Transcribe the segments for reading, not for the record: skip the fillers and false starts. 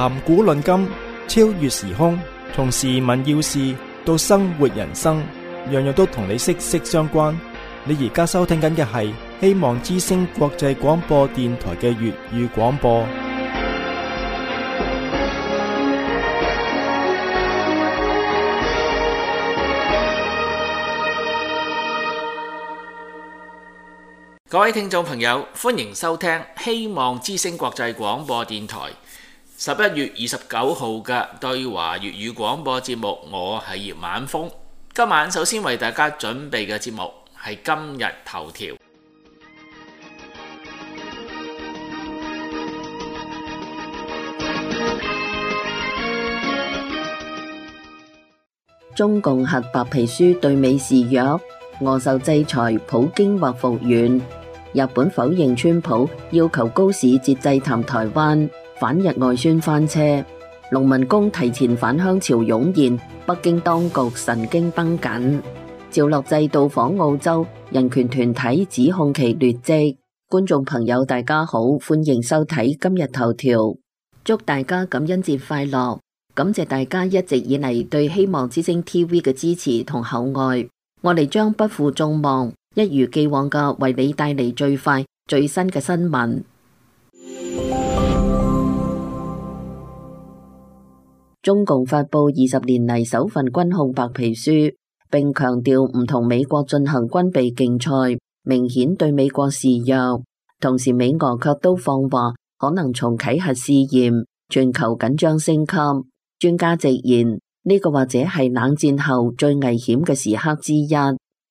談古論今，超越時空，從時聞要事到生活人生，樣樣都同你息息相關。你而家收聽緊嘅係希望之聲國際廣播電台嘅粵語廣播。各位聽眾朋友，歡迎收聽希望之聲國際廣播電台11月29號嘅對華粵語廣播節目。我係葉晚風。今晚首先為大家準備嘅節目係今日頭條。中共核白皮書對美示弱，俄受制裁，普京或復原。日本否認川普要求高市節制談台灣，反日外宣翻車。農民工提前返鄉潮湧現，北京當局神經繃緊。趙樂際到訪澳洲，人權團體指控其劣跡。觀眾朋友大家好，歡迎收睇今日頭條，祝大家感恩節快樂，感謝大家一直以嚟對希望之聲 TV 嘅支持同厚愛，我哋將不負眾望，一如既往嘅為你帶嚟最快最新嘅新聞。中共發佈20年嚟首份軍控白皮書，並強調唔同美國進行軍備競賽，明顯對美國示弱。同時美俄卻都放話可能重啟核試驗，全球緊張升級。專家直言，呢個或者係冷戰後最危險嘅時刻之一。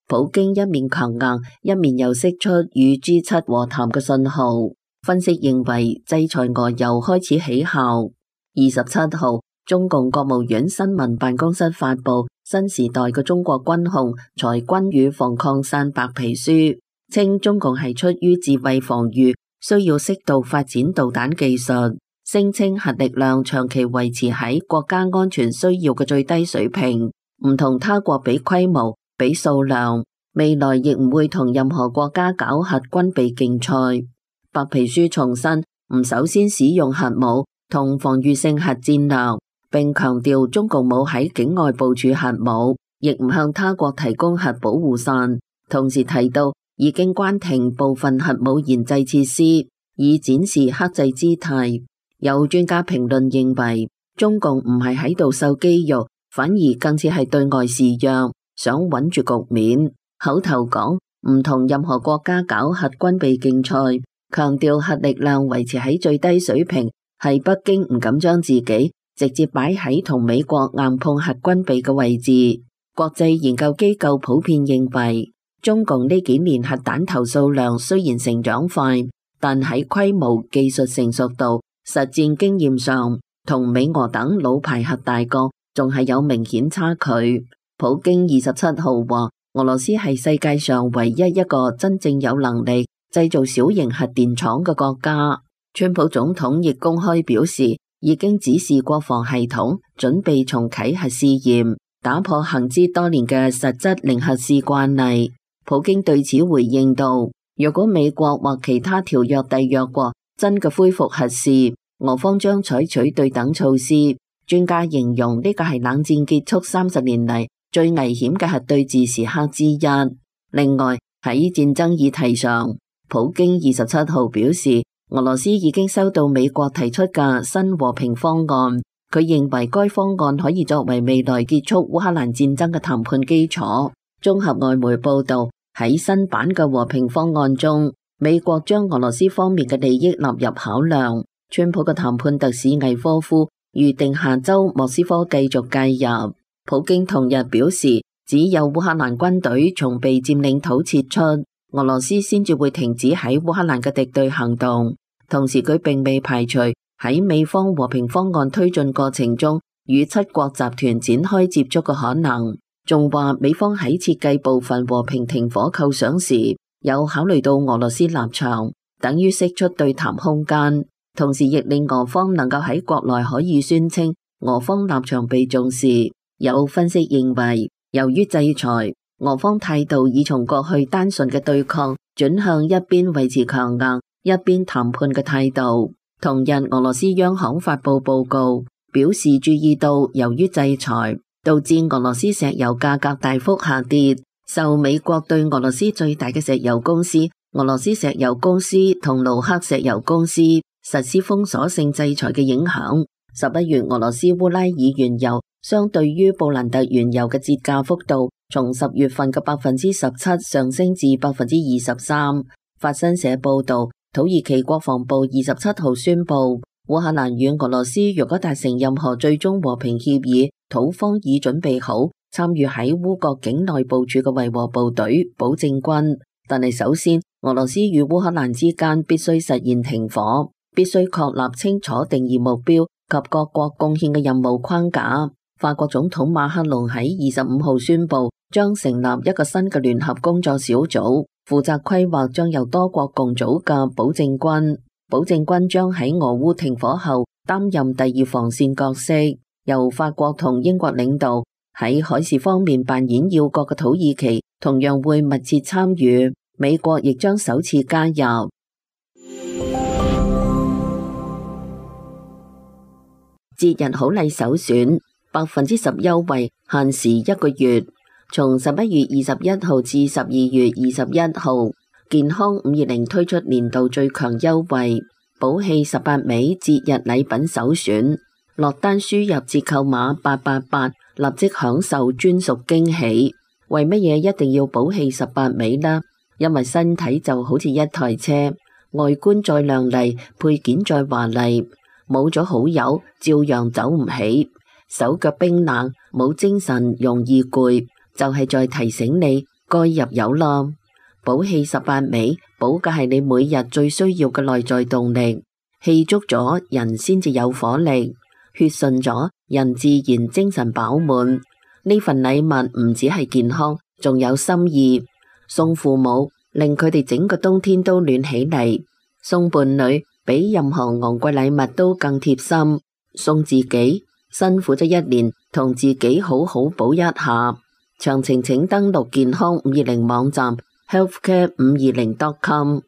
普京一面強硬，一面又釋出與 G7 和談嘅信號。分析認為，制裁俄又開始起效。27號，中共國務院新聞辦公室發佈新時代嘅中國軍控裁軍與防擴散白皮書，稱中共係出於自衛防禦，需要適度發展導彈技術，聲稱核力量長期維持喺國家安全需要嘅最低水平，唔同他國比規模、比數量，未來亦唔會同任何國家搞核軍備競賽。白皮書重申唔首先使用核武同防禦性核戰略，並強調中共冇喺境外部署核武，亦唔向他國提供核保護傘。同時提到已經關停部分核武研製設施，以展示克制姿態。有專家評論認為，中共唔係喺度秀肌肉，反而更似係對外示弱，想穩住局面。口頭講唔同任何國家搞核軍備競賽，強調核力量維持喺最低水平，係北京唔敢將自己直接擺喺同美國硬碰核軍備嘅位置。國際研究機構普遍認為，中共呢幾年核彈頭數量雖然成長快，但喺規模、技術成熟度、實戰經驗上，同美俄等老牌核大國仲係有明顯差距。普京27號話，俄羅斯係世界上唯一一個真正有能力製造小型核電廠嘅國家。川普總統亦公開表示，已經指示國防系統準備重啟核試驗，打破行之多年嘅實質零核試慣例。普京對此回應道，若果美國或其他條約締約國真嘅恢復核試，俄方將採取對等措施。專家形容呢個係冷戰結束30年嚟最危險嘅核對峙時刻之一。另外喺戰爭議題上，普京27號表示，俄羅斯已經收到美國提出嘅新和平方案，佢認為該方案可以作為未來結束烏克蘭戰爭嘅談判基礎。綜合外媒報道，喺新版嘅和平方案中，美國將俄羅斯方面嘅利益納入考量。川普嘅談判特使魏科夫預定下周莫斯科繼續介入。普京同日表示，只有烏克蘭軍隊從被佔領土撤出，俄羅斯先至會停止喺烏克蘭嘅敵對行動。同時佢並未排除喺美方和平方案推進過程中與七國集團展開接觸嘅可能。仲話美方喺設計部分和平停火構想時，有考慮到俄羅斯立場，等於釋出對談空間。同時亦令俄方能夠喺國內可以宣稱俄方立場被重視。有分析認為，由於制裁，俄方態度已從過去單純嘅對抗轉向一邊維持強硬、一邊談判嘅態度。同日，俄羅斯央行發布報告，表示注意到由於制裁，導致俄羅斯石油價格大幅下跌，受美國對俄羅斯最大嘅石油公司俄羅斯石油公司同盧克石油公司實施封鎖性制裁嘅影響。11月，俄羅斯烏拉爾原油相對於布蘭特原油嘅折價幅度從10月份嘅17%上升至23%。法新社報道，土耳其國防部27號宣布，烏克蘭與俄羅斯若果達成任何最終和平協議，土方已準備好參與喺烏國境內部署嘅維和部隊、保證軍。但係首先，俄羅斯與烏克蘭之間必須實現停火，必須確立清楚定義目標及各國貢獻嘅任務框架。法國總統馬克龍喺25號宣布，將成立一個新嘅聯合工作小組，負責規劃將由多國共組嘅保證軍。保證軍將喺俄烏停火後擔任第二防線角色，由法國同英國領導。喺海事方面扮演要角嘅土耳其同樣會密切參與，美國亦將首次加入。節日好禮首選，10%優惠，限時1個月。從11月21號至12月21號，健康520推出年度最強優惠，寶氣18味節日禮品首選。落單輸入折扣碼888，立即享受專屬驚喜。為乜嘢一定要寶氣18味呢？因為身體就好似一台車，外觀再亮麗，配件再華麗，冇咗好友照樣走唔起，手腳冰冷，冇精神，容易攰，就係在提醒你該入油啦。寶氣18味，補嘅係你每日最需要嘅內在動力，氣足咗人先至有火力，血順咗人自然精神飽滿。呢份禮物唔只係健康，仲有心意。送父母，令佢哋整個冬天都暖起嚟；送伴侶，比任何昂貴禮物都更貼心；送自己，辛苦咗一年，同自己好好補一下。詳情請登錄健康520網站 healthcare520.com。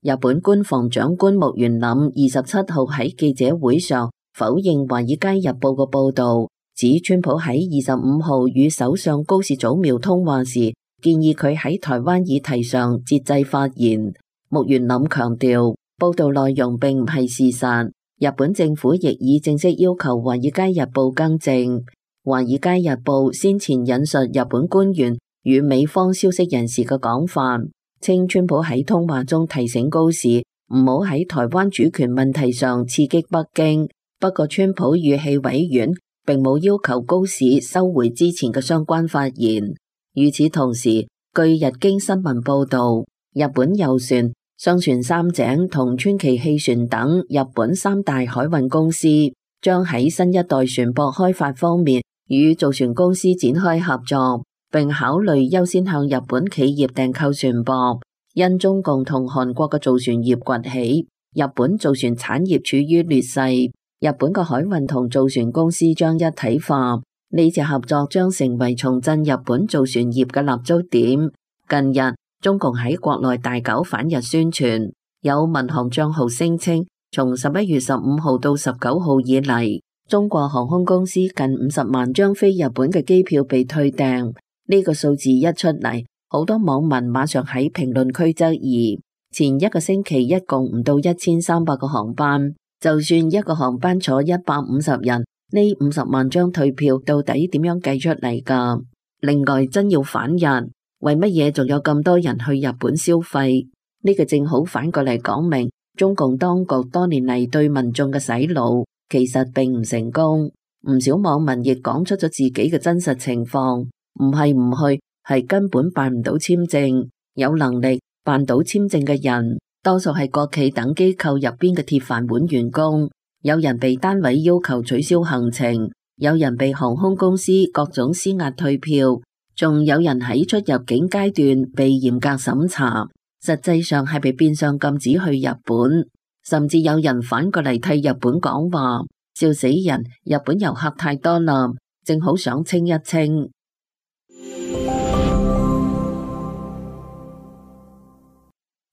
日本官房長官木原稔27號喺記者會上否認《華爾街日報》嘅報導，指川普喺25號與首相高市早苗通話時，建議佢喺台灣議題上節制發言。木原稔強調，報導內容並唔係事實。日本政府亦已正式要求《華爾街日報》更正。《華爾街日報》先前引述日本官員與美方消息人士嘅講法，稱川普喺通話中提醒高市唔好喺台灣主權問題上刺激北京。不過川普語氣委婉，並冇要求高市收回之前嘅相關發言。與此同時，據日經新聞報道，日本郵船、商船三井同川崎汽船等日本3大海運公司將喺新一代船舶開發方面與造船公司展開合作，並考慮優先向日本企業訂購船舶。因中共同韓國嘅造船業崛起，日本造船產業處於劣勢，日本嘅海運同造船公司將一體化。呢次合作將成為重振日本造船業嘅立足點。近日，中共喺國內大搞反日宣傳，有民航賬號聲稱，從11月15號到19號以嚟，中國航空公司近50萬張飛日本嘅機票被退訂。呢個數字一出嚟，好多網民馬上喺評論區質疑，前一個星期一共唔到1300個航班，就算一個航班坐150人，呢50萬張退票到底點樣計出嚟㗎？另外，真要反日，為乜嘢仲有咁多人去日本消費？呢個正好反過嚟講明，中共當局多年嚟對民眾嘅洗腦，其實並唔成功。唔少網民亦講出咗自己嘅真實情況，唔係唔去，係根本辦唔到簽證。有能力辦到簽證嘅人，多數係國企等機構入邊嘅鐵飯碗員工。有人被單位要求取消行程，有人被航空公司各種施壓退票，仲有人喺出入境階段被嚴格審查，實際上係被變相禁止去日本。甚至有人反過嚟替日本講話，笑死人！日本遊客太多啦，正好想清一清。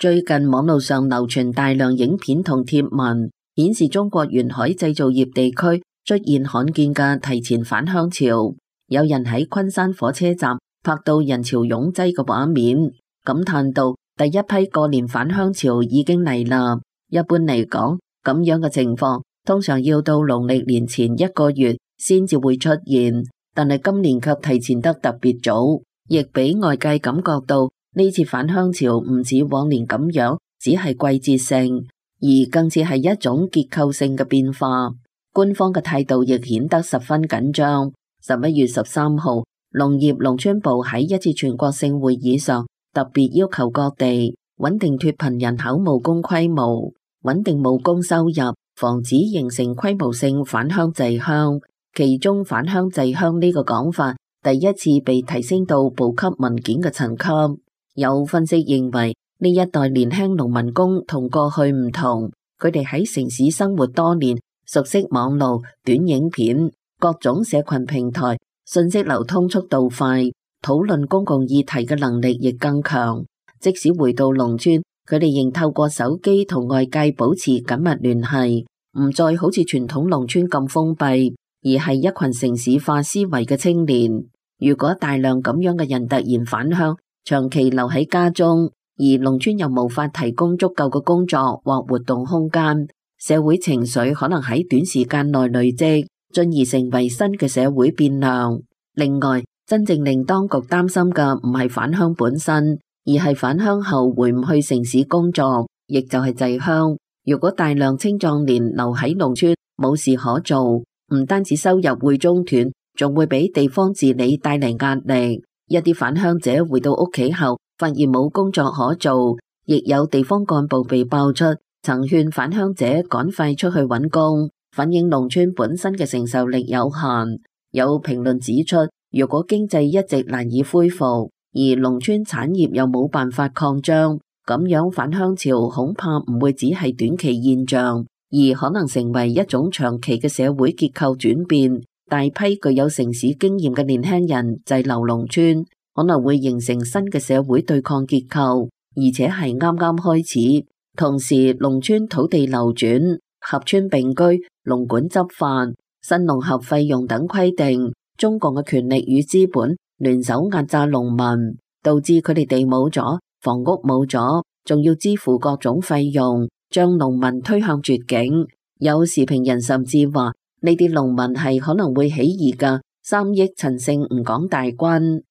最近網絡上流傳大量影片同貼文，顯示中國沿海製造業地區出現罕見嘅提前返鄉潮。有人喺昆山火車站拍到人潮擁擠嘅畫面，感嘆到第一批過年返鄉潮已經嚟啦。一般嚟講，咁樣嘅情況通常要到農曆年前1個月先至會出現，但係今年卻提前得特別早，亦俾外界感覺到呢次返鄉潮唔似往年咁樣，只係季節性，而更似係一種結構性嘅變化。官方嘅態度亦顯得十分緊張。11月13號，農業農村部喺一次全國性會議上特別要求各地穩定脫貧人口務工規模，穩定務工收入，防止形成規模性返鄉滯鄉。其中返鄉滯鄉呢個講法第一次被提升到部級文件嘅層級。有分析認為，呢一代年輕農民工同過去唔同，佢哋喺城市生活多年，熟悉網路、短影片、各種社群平台，信息流通速度快，討論公共議題嘅能力亦更強。即使回到農村，佢哋仍透過手機同外界保持緊密聯繫，唔再好似傳統農村咁封閉，而係一群城市化思維嘅青年。如果大量咁樣嘅人突然返鄉，長期留喺家中，而農村又無法提供足夠嘅工作或活動空間，社會情緒可能喺短時間內累積，進而成為新嘅社會變量。另外，真正令當局擔心嘅唔係返鄉本身，而係返鄉後回唔去城市工作，亦就係滯鄉。如果大量青壯年留喺農村冇事可做，唔單止收入會中斷，仲會俾地方治理帶嚟壓力。一啲返鄉者回到屋企後，發現冇工作可做，亦有地方幹部被爆出曾勸返鄉者趕快出去揾工，反映農村本身嘅承受力有限。有評論指出，如果經濟一直難以恢復，而農村產業又冇辦法擴張，咁樣返鄉潮恐怕唔會只係短期現象，而可能成為一種長期嘅社會結構轉變。大批具有城市經驗嘅年輕人滯留農村，可能會形成新嘅社會對抗結構，而且係啱啱開始。同時，農村土地流轉、合村並居、農管執法、新農合費用等規定，中共嘅權力與資本聯手壓榨農民，導致佢哋地冇咗，房屋冇咗，仲要支付各種費用，將農民推向絕境。有時評人甚至話，呢啲農民係可能會起義嘅3億陳姓吳廣大軍。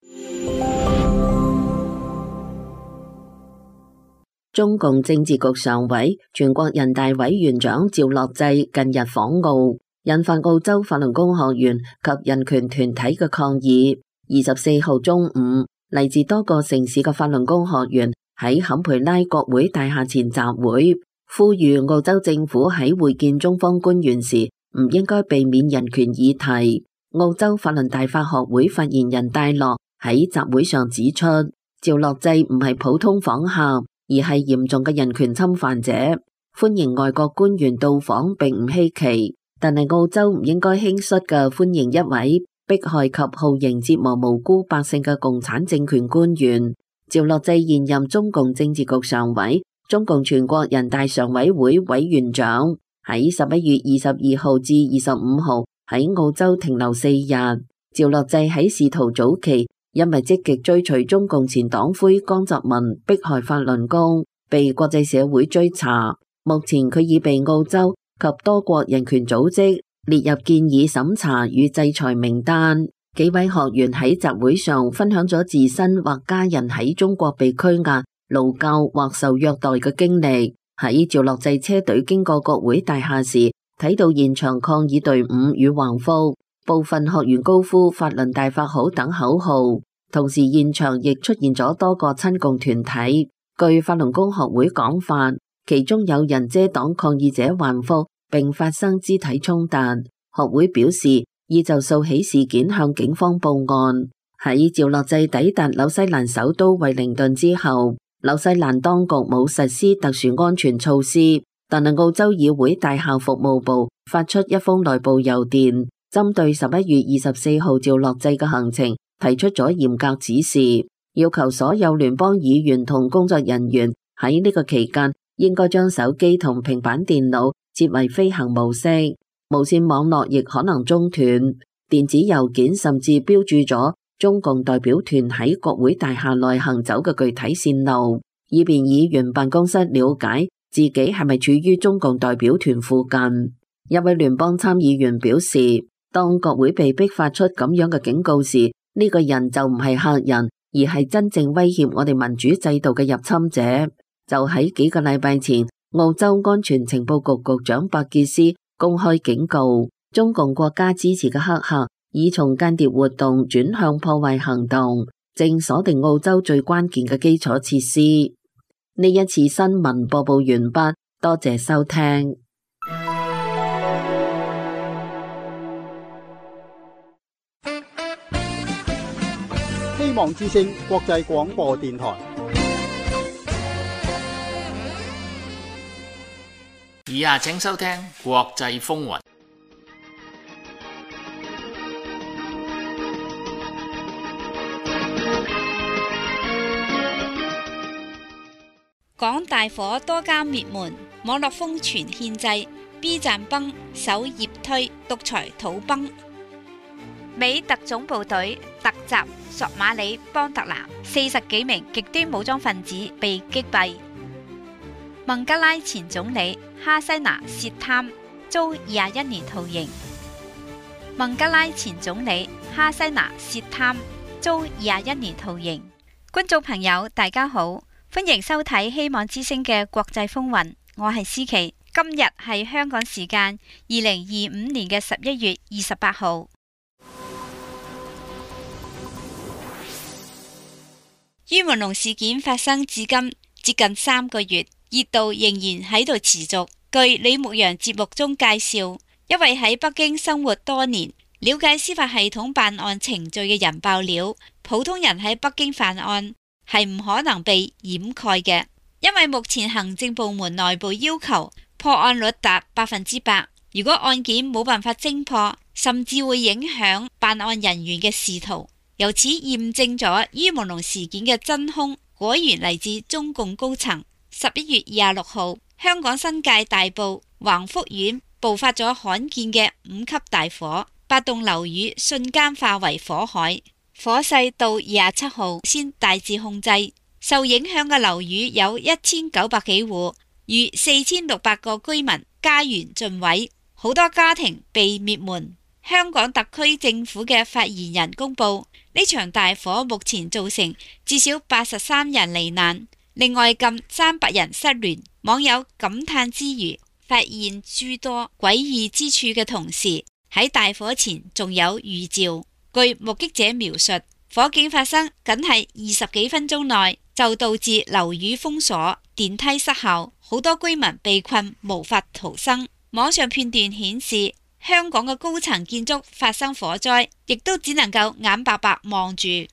中共政治局常委、全國人大委員長趙樂際近日訪澳，引發澳洲法輪功學員及人權團體嘅抗議。24號中午，嚟自多個城市嘅法輪功學員喺坎培拉國會大廈前集會，呼籲澳洲政府喺會見中方官員時唔應該避免人權議題。澳洲法輪大法學會發言人戴樂喺集會上指出，趙樂際唔係普通訪客，而係嚴重嘅人權侵犯者，歡迎外國官員到訪並唔稀奇，但係澳洲唔應該輕率嘅歡迎一位迫害及酷刑折磨無辜百姓嘅共產政權官員。趙樂際現任中共政治局常委、中共全國人大常委會委員長，喺11月22號至25號喺澳洲停留4日。趙樂際喺仕途早期因為積極追隨中共前黨魁江澤民迫害法輪功，被國際社會追查。目前佢已被澳洲及多國人權組織列入建議審查與制裁名單。幾位學員喺集會上分享咗自身或家人喺中國被拘押、勞教或受虐待嘅經歷。喺趙樂際車隊經過國會大廈時，睇到現場抗議隊伍與橫幅，部分學員高呼法輪大法好等口號，同時現場亦出現咗多個親共團體。據法輪功學會講法，其中有人遮擋抗議者橫幅並發生肢體衝突。學會表示已就訴起事件向警方報案。喺趙樂際抵達紐西蘭首都惠靈頓之後，紐西蘭當局冇實施特殊安全措施，但係澳洲議會大校服務部發出一封內部郵電，針對11月24號趙樂際嘅行程提出咗嚴格指示，要求所有聯邦議員同工作人員喺呢個期間，應該將手機同平板電腦設為飛行模式，無線網絡亦可能中斷。電子郵件甚至標註咗中共代表團喺國會大廈內行走嘅具體線路，以便議員辦公室了解自己係咪處於中共代表團附近。一位聯邦參議員表示，當國會被迫發出咁樣嘅警告時，呢個人就唔係客人，而係真正威脅我哋民主制度嘅入侵者。就喺幾個禮拜前，澳洲安全情報局局長伯傑斯公開警告，中共國家支持嘅黑客已從間諜活動轉向破壞行動，正鎖定澳洲最關鍵嘅基礎設施。呢一次新聞播報完畢，多謝收聽。希望之聲國際廣播電台。以下請收聽國際風雲。港大火多家滅門，網絡瘋傳獻祭 ，B 站崩，首頁推獨裁土崩。美特種部隊突襲索馬里邦特南，40幾名極端武裝分子被擊斃。孟加拉前總理哈西娜涉貪遭21年徒刑。孟加拉前總理哈西娜涉貪遭21年徒刑。觀眾朋友，大家好，歡迎收睇希望之聲嘅國際風雲，我係思琪。今日係香港時間2025年嘅11月28號。于文龍事件發生至今接近3個月，熱度仍然喺度持續。據李牧陽節目中介紹，一位喺北京生活多年、了解司法系統辦案程序嘅人爆料，普通人喺北京犯案係唔可能被掩蓋嘅，因為目前行政部門內部要求破案率達100%。如果案件冇辦法偵破，甚至會影響辦案人員嘅仕途。由此驗證咗于文龍事件嘅真兇果然嚟自中共高層。11月26號，香港新界大埔橫福苑爆發咗罕見嘅5級大火，8棟樓宇瞬間化為火海，火勢到27號先大致控制。受影響嘅樓宇有1900幾戶，逾4600個居民家園盡毀，好多家庭被滅門。香港特區政府嘅發言人公布，呢場大火目前造成至少83人罹難，另外近300人失聯。網友感嘆之餘，發現諸多詭異之處嘅同時，喺大火前仲有預兆。據目擊者描述，火警發生僅係20幾分鐘內，就導致樓宇封鎖、電梯失效，好多居民被困無法逃生。網上片段顯示，香港嘅高層建築發生火災，亦都只能夠眼白白望住。11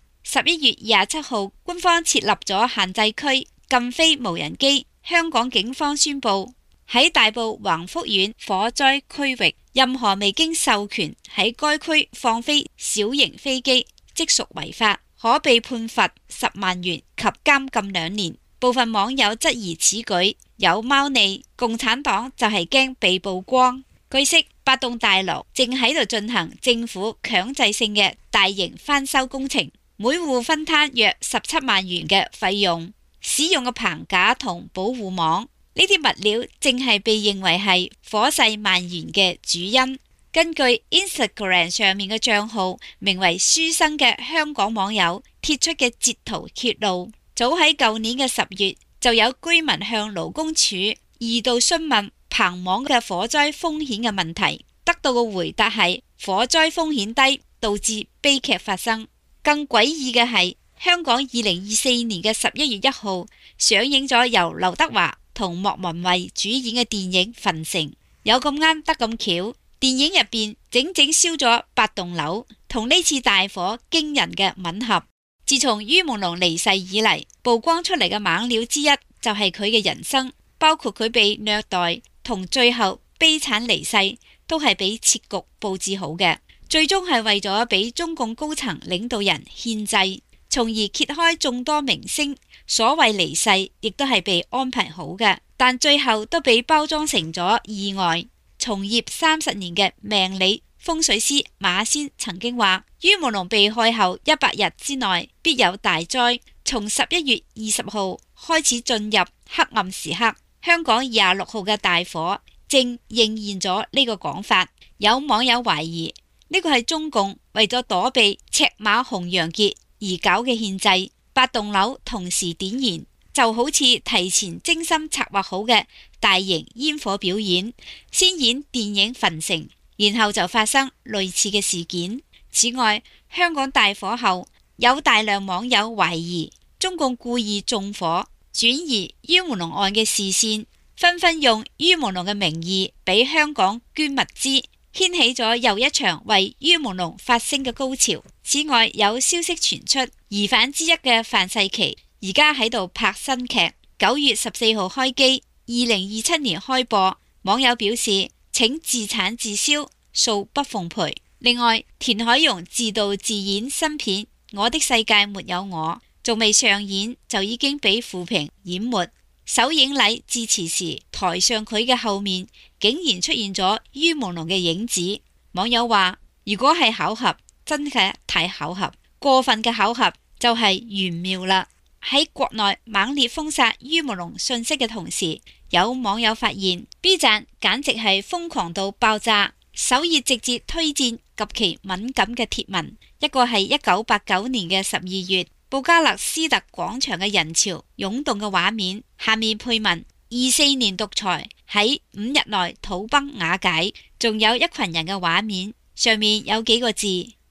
月27號，官方設立咗限制區，禁飛無人機。香港警方宣布，喺大埔橫福苑火災區域，任何未經授權喺該區放飛小型飛機，即屬違法，可被判罰10萬元及監禁2年。部分網友質疑此舉有貓膩，共產黨就係驚被曝光。據悉，8棟大樓正喺度進行政府強制性嘅大型翻修工程，每戶分攤約17萬元嘅費用。使用嘅棚架同保護網，呢啲物料正係被認為係火勢蔓延嘅主因。根據 Instagram 上面嘅賬號名為書生嘅香港網友貼出嘅截圖揭露，早喺舊年嘅10月就有居民向勞工處2度詢問棚網嘅火災風險嘅問題，得到嘅回答係火災風險低，導致悲劇發生。更詭異嘅係，香港2024年嘅11月1號上映咗由劉德華同莫文蔚主演嘅電影《焚城》，有咁啱得咁巧，電影入邊整整燒咗8棟樓，同呢次大火驚人嘅吻合。自從于文龍離世以嚟，曝光出嚟嘅猛料之一就係佢嘅人生，包括佢被虐待同最後悲慘離世，都係俾設局佈置好嘅，最終係為咗俾中共高層領導人獻祭。從而揭開眾多明星所謂離世，亦都係被安排好嘅，但最後都被包裝成咗意外。從業30年嘅命理風水師馬仙曾經話，於朦朧被害後100日之內必有大災，從11月20號開始進入黑暗時刻。香港26號嘅大火正應驗咗呢個講法。有網友懷疑呢個係中共為咗躲避赤馬紅楊節而搞嘅獻祭，8棟樓同時點燃，就好似提前精心策劃好嘅大型煙火表演，先演電影《焚城》，然後就發生類似嘅事件。此外，香港大火後有大量網友懷疑中共故意縱火，轉移於朦朧案嘅視線，紛紛用於朦朧嘅名義俾香港捐物資，掀起咗又一場為於朦朧發聲嘅高潮。此外，有消息傳出，疑犯之一嘅范世琦而家喺度拍新劇，9月14號開機，2027年開播。網友表示，請自產自銷，恕不奉陪。另外，田海蓉自導自演新片《我的世界沒有我》，仲未上演就已經俾負評淹沒。首映禮致辭時，台上佢嘅後面竟然出現咗於朦朧嘅影子。網友話，如果係巧合，真嘅太巧合，過分嘅巧合就係玄妙啦。喺國內猛烈封殺於朦朧信息嘅同時，有網友發現 B 站簡直係瘋狂到爆炸，首頁直接推薦極其敏感嘅貼文。一個係1989年嘅12月，布加勒斯特廣場嘅人潮湧動嘅畫面，下面配文：24年獨裁喺5日內土崩瓦解。仲有一群人嘅畫面，上面有幾個字：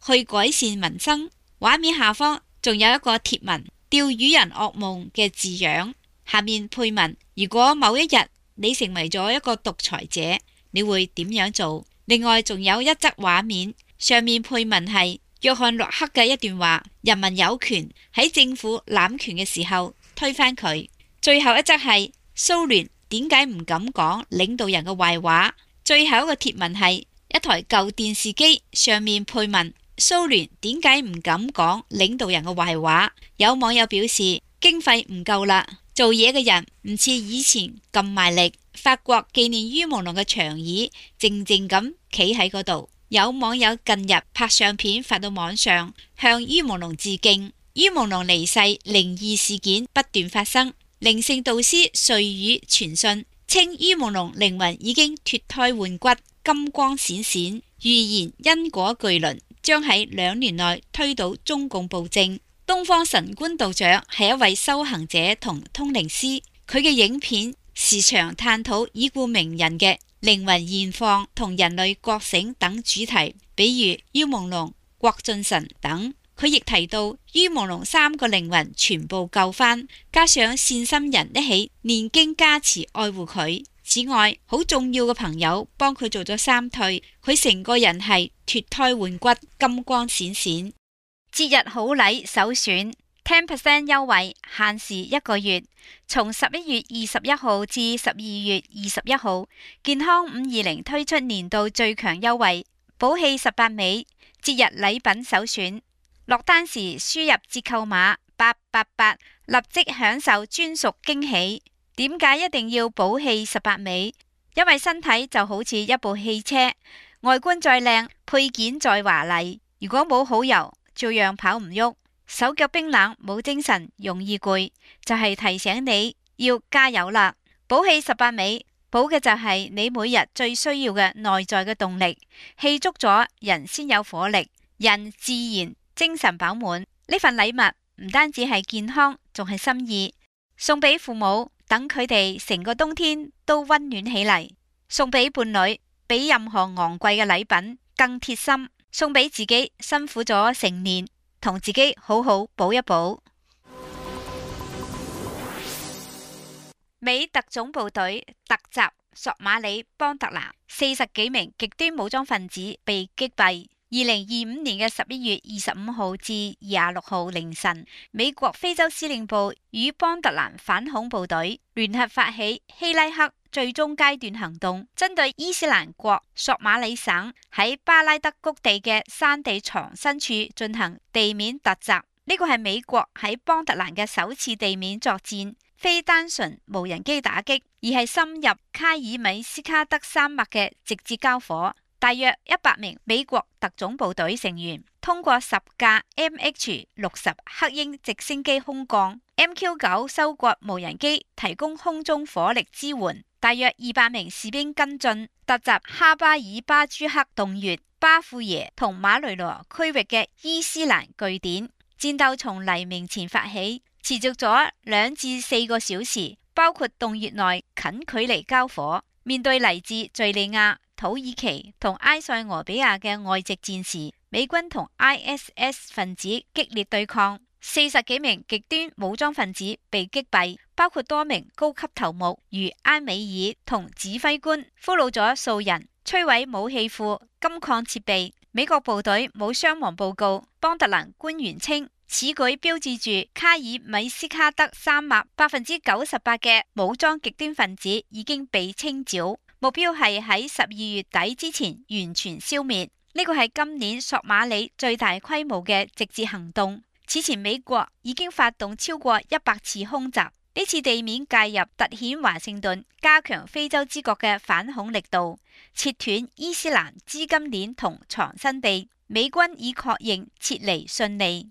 去改善民生。畫面下方仲有一個貼文，釣魚人噩夢嘅字樣，下面配文：如果某一日你成為咗一個獨裁者，你會點樣做？另外仲有一則畫面，上面配文係約翰洛克嘅一段話：人民有權喺政府濫權嘅時候推翻佢。最後一則係蘇聯點解唔敢講領導人嘅壞話？最後一個貼文係一台舊電視機，上面配文：蘇聯點解唔敢講領導人嘅壞話？有網友表示經費唔夠啦，做嘢嘅人唔似以前咁賣力。法國紀念於朦朧嘅長椅靜靜咁企喺嗰度。有網友近日拍相片發到網上，向於朦朧致敬。於朦朧離世靈異事件不斷發生，靈性導師瑞宇傳信稱於朦朧靈魂已經脫胎換骨，金光閃閃，預言因果巨輪將喺2年內推倒中共暴政。東方神官道長係一位修行者同通靈師，佢嘅影片時常探討已故名人嘅靈魂現況同人類覺醒等主題，比如於朦朧、郭俊辰等。佢亦提到於朦朧3個靈魂全部救返，加上善心人一起念經加持愛護佢。此外，好重要嘅朋友幫佢做咗3退，佢成個人係脫胎換骨，金光閃閃。節日好禮首選 10% 優惠，限時1個月，從11月21號至12月21號，健康520推出年度最強優惠，寶氣18味，節日禮品首選。落單時輸入折扣碼888，立即享受專屬驚喜。點解一定要寶氣18味？因為身體就好似一部汽車，外觀再靚，配件再華麗，如果冇好油，照樣跑唔喐，手腳冰冷，冇精神，容易攰，就係提醒你要加油啦。寶氣18味，補嘅就係你每日最需要嘅內在嘅動力，氣足咗，人先有火力，人自然精神飽滿。呢份禮物唔單止係健康，仲係心意，送俾父母，等佢哋成個冬天都溫暖起嚟；送俾伴侶，比任何昂貴嘅禮品更貼心；送俾自己，辛苦咗成年，同自己好好補一補。美特種部隊突襲索馬里邦特蘭，40幾名極端武裝分子被擊斃。2025年嘅11月25號至26號凌晨，美國非洲司令部與邦特蘭反恐部隊聯合發起希拉克最終階段行動，針對伊斯蘭國索馬里省喺巴拉德谷地嘅山地藏身處進行地面突襲。呢個係美國喺邦特蘭嘅首次地面作戰，非單純無人機打擊，而係深入卡爾米斯卡德山脈嘅直接交火。大約100名美國特種部隊成員通過10架 MH-60 黑鷹直升機空降， MQ-9 收割無人機提供空中火力支援。大約200名士兵跟進，突襲哈巴爾巴朱克洞穴、巴庫耶同馬雷羅區域嘅伊斯蘭據點。戰鬥從黎明前發起，持續咗2至4個小時，包括洞穴內近距離交火。面對嚟自敘利亞、土耳其同埃塞俄比亞嘅外籍戰士，美軍同 ISS 分子激烈對抗，40幾名極端武裝分子被擊斃，包括多名高級頭目如埃美爾同指揮官，俘虜咗數人，摧毀武器庫、金礦設備。美國部隊冇傷亡報告。邦特蘭官員稱，此舉標誌住卡爾米斯卡德山脈98%嘅武裝極端分子已經被清剿，目標係喺12月底之前完全消滅。呢個係今年索馬里最大規模嘅直接行動。此前美國已經發動超過100次空襲，呢次地面介入凸顯華盛頓加強非洲之角嘅反恐力度，切斷伊斯蘭資金鏈同藏身地。美軍已確認撤離順利。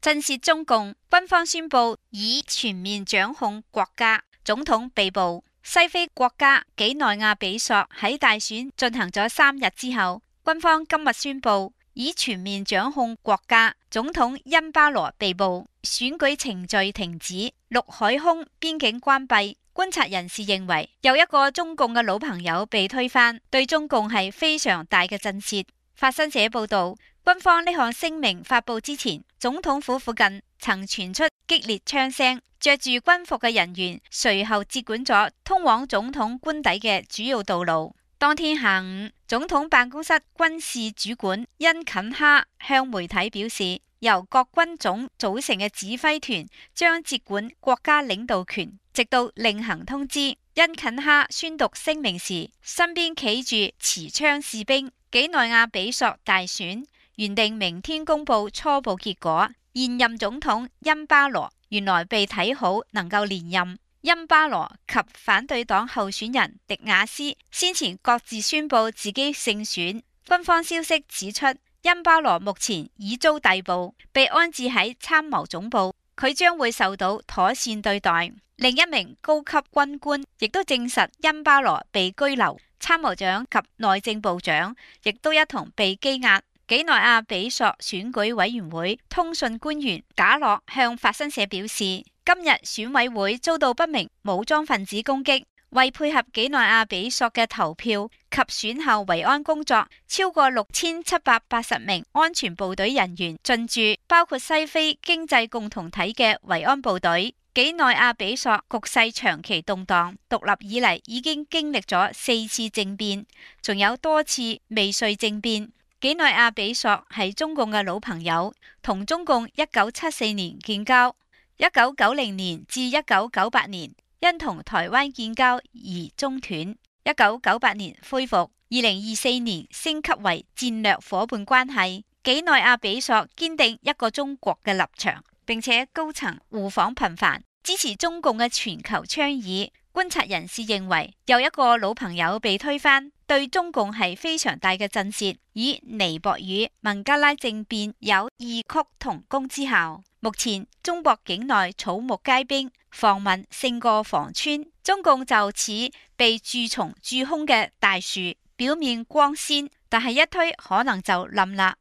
震懾中共，軍方宣布已全面掌控國家，總統被捕。西非國家幾內亞比索喺大選進行咗3日之後，軍方今日宣布已全面掌控國家，總統恩巴羅被捕，選舉程序停止，陸海空邊境關閉。觀察人士認為，又一個中共嘅老朋友被推翻，對中共係非常大嘅震懾。法新社報道，軍方呢項聲明發佈之前，總統府附近曾傳出激烈槍聲，着住軍服嘅人員隨後接管咗通往總統官邸嘅主要道路。當天下午，總統辦公室軍事主管恩肯哈向媒體表示，由各軍種組成嘅指揮團將接管國家領導權，直到另行通知。恩肯哈宣讀聲明時，身邊企住持槍士兵。幾內亞比索大選原定明天公布初步結果，現任總統恩巴羅原來被睇好能夠連任。恩巴羅及反對黨候選人迪亞斯先前各自宣布自己勝選。軍方消息指出，恩巴羅目前已遭逮捕，被安置喺參謀總部，佢將會受到妥善對待。另一名高級軍官亦都證實恩巴羅被拘留，參謀長及內政部長亦都一同被羈押。幾內亞比索選舉委員會通訊官員賈洛向法新社表示，今日選委會遭到不明武裝分子攻擊，為配合幾內亞比索嘅投票及選後維安工作，超過6780名安全部隊人員進駐，包括西非經濟共同體嘅維安部隊。幾內亞比索局勢長期動盪，獨立以嚟已經經歷咗4次政變，仲有多次未遂政變。幾內亞比索係中共嘅老朋友，同中共1974年建交，1990年至1998年因同台灣建交而中斷，1998年恢復，2024年升級為戰略夥伴關係。幾內亞比索堅定一個中國嘅立場，並且高層互訪頻繁，支持中共嘅全球倡議。觀察人士認為，又一個老朋友被推翻，對中共係非常大嘅震懾。以尼泊爾孟加拉政變有異曲同工之效。目前中國境內草木皆兵，防民勝過防村。中共就似被蛀蟲蛀空嘅大樹，表面光鮮，但係一推可能就冧啦。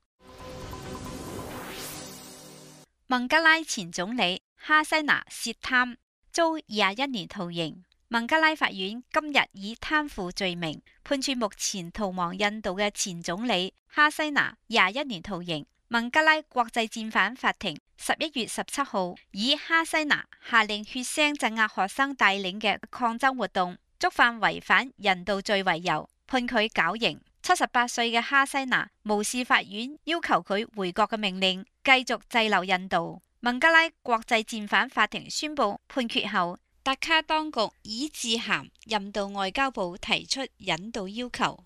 孟加拉前總理哈西娜涉貪，遭21年徒刑。孟加拉法院今日以貪腐罪名判處目前逃亡印度嘅前總理哈西娜21年徒刑。孟加拉國際戰犯法庭11月17號以哈西娜下令血腥鎮壓學生帶領嘅抗爭活動，觸犯違反人道罪為由，判佢絞刑。78歲嘅哈西娜無視法院要求佢回國嘅命令，繼續滯留印度。孟加拉國際戰犯法庭宣布判決後，達卡當局已致函印度外交部提出引渡要求。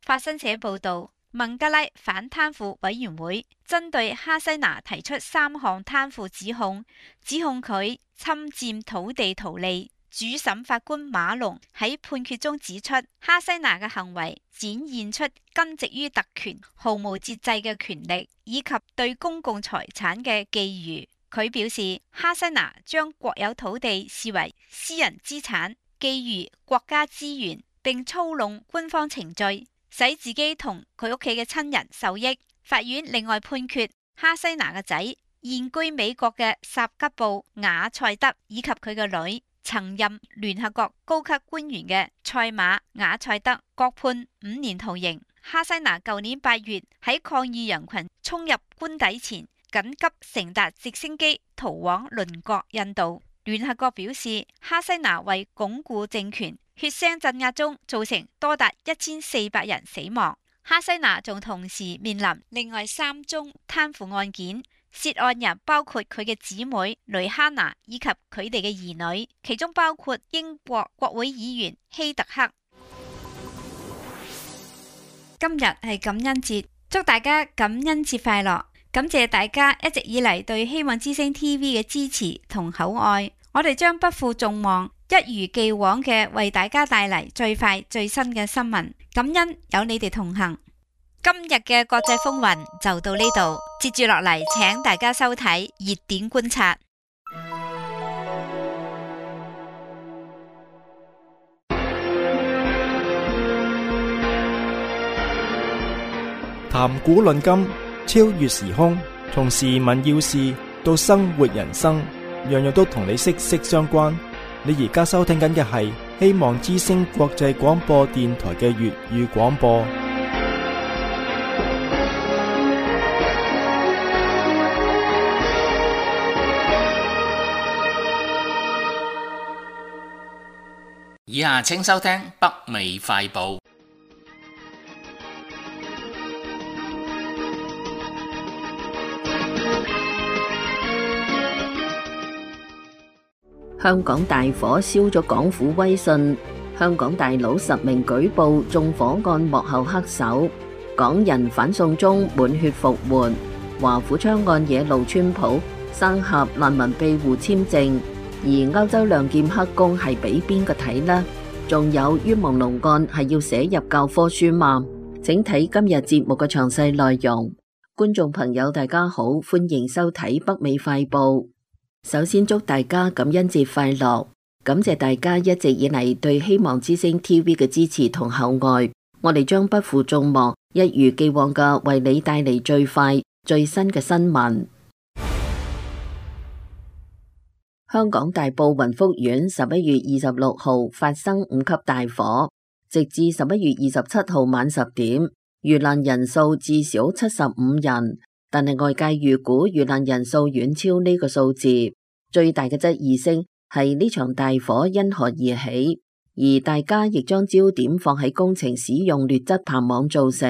法新社報道，孟加拉反貪腐委員會針對哈西娜提出3項貪腐指控佢侵佔土地圖利。主審法官馬龍喺判決中指出，哈西娜嘅行為展現出根植於特權、毫無節制嘅權力，以及對公共財產嘅覬覦。佢表示，哈西娜將國有土地視為私人資產，覬覦國家資源，並操弄官方程序，使自己同佢屋企嘅親人受益。法院另外判決哈西娜嘅仔現居美國嘅薩吉布雅塞德以及佢嘅女曾任聯合國高級官員嘅賽馬雅塞德各判5年徒刑。哈西娜舊年8月喺抗議人群衝入官邸前，緊急乘搭直升機逃往鄰國印度。聯合國表示，哈西娜為鞏固政權，血腥鎮壓中造成多達1400人死亡。哈西娜仲同時面臨另外3宗貪腐案件。涉案人包括佢嘅姊妹雷哈娜以及佢哋嘅兒女，其中包括英國國會議員希特克。今日係感恩節，祝大家感恩節快樂！感謝大家一直以嚟對希望之聲 TV 嘅支持同厚愛，我哋將不負眾望，一如既往嘅為大家帶嚟最快最新嘅新聞。感恩有你哋同行。今日嘅國際風雲就到呢度，接住落嚟請大家收睇熱點觀察。談古論今，超越時空，從時聞要事到生活人生，樣樣都同你息息相關。你而家收聽緊嘅係希望之聲國際廣播電台嘅粵語廣播。以下請收聽北美快報。香港大火燒咗港府威信，香港大佬10名舉報縱火案幕後黑手，港人反送中滿血復活，華府槍案惹怒川普，生合難民庇護簽證。而歐洲亮劍黑工係俾邊個睇呢？仲有冤枉龍案係要寫入教科書嗎？請睇今日節目嘅詳細內容。觀眾朋友大家好，歡迎收睇北美快報。首先祝大家感恩節快樂，感謝大家一直以嚟對希望之聲 TV 嘅支持同厚愛，我哋將不負眾望，一如既往嘅為你帶嚟最快最新嘅新聞。香港大埔雲福苑11月26號發生5級大火，直至11月27號晚10點，遇難人數至少75人，但係外界預估遇難人數遠超呢個數字。最大嘅質疑聲係呢場大火因何而起，而大家亦將焦點放喺工程使用劣質棚網造成，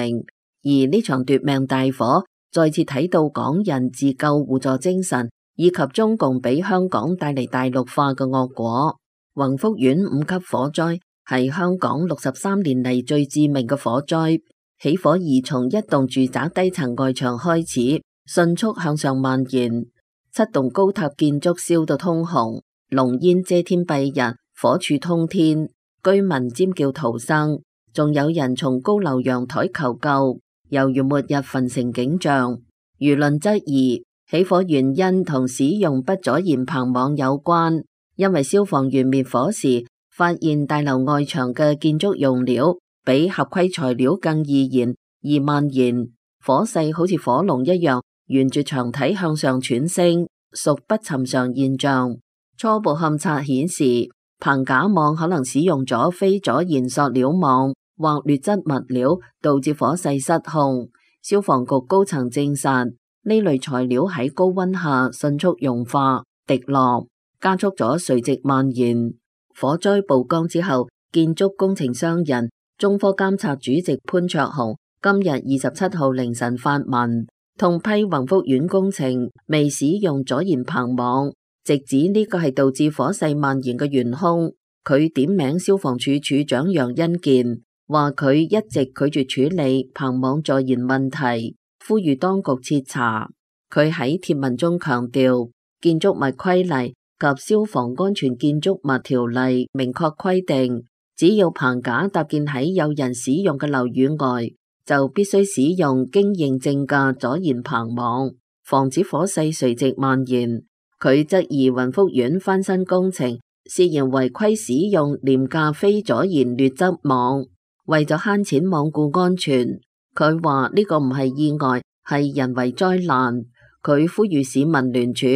而呢場奪命大火再次睇到港人自救互助精神，以及中共俾香港帶嚟大陸化嘅惡果。宏福苑5級火災係香港63年嚟最致命嘅火災，起火宜從一棟住宅低層外牆開始，迅速向上蔓延，7棟高塔建築燒到通紅，濃煙遮天蔽日，火柱通天，居民尖叫逃生，仲有人從高樓陽台求救，猶如末日焚城景象。輿論質疑起火原因同使用不阻燃棚網有關，因為消防員滅火時發現大樓外牆嘅建築用料比合規材料更易燃而蔓延，火勢好似火龍一樣沿住牆體向上竄升，屬不尋常現象。初步勘測顯示，棚架網可能使用咗非阻燃塑料網或劣質物料，導致火勢失控。消防局高層證實，呢類材料喺高溫下迅速融化滴落，加速咗垂直蔓延。火災曝光之後，建築工程商人中科監察主席潘焯鴻今日27號凌晨發文，痛批宏福苑工程未使用阻燃棚網，直指呢個係導致火勢蔓延嘅元兇。佢點名消防處處長楊恩健，話佢一直拒絕處理棚網助燃問題，呼籲當局徹查。佢喺貼文中強調，建築物規例及消防安全建築物條例明確規定，只要棚架搭建喺有人使用嘅樓宇外，就必須使用經認證嘅阻燃棚網，防止火勢垂直蔓延。佢質疑雲福苑翻新工程涉嫌違規使用廉價非阻燃劣質網，為咗慳錢罔顧安全。佢話呢個唔係意外，係人為災難。佢呼籲市民聯署，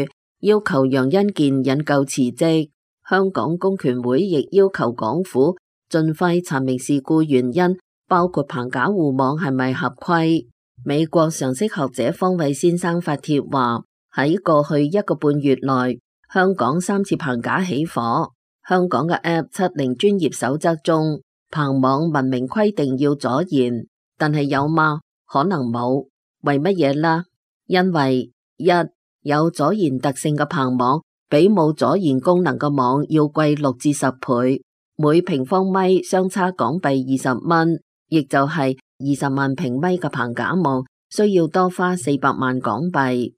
要求楊恩健引咎辭職。香港公權會亦要求港府盡快查明事故原因，包括棚架護網係咪合規。美國常識學者方偉先生發帖話，喺過去1個半月內，香港3次棚架起火。香港嘅 App70 專業守則中，棚網文明規定要阻燃，但係有嗎？可能冇。為乜嘢呢？因為1有阻燃特性嘅棚網比冇阻燃功能嘅網要貴6至10倍，每平方米相差港幣20蚊，亦就係20萬平米嘅棚架網需要多花400萬港幣。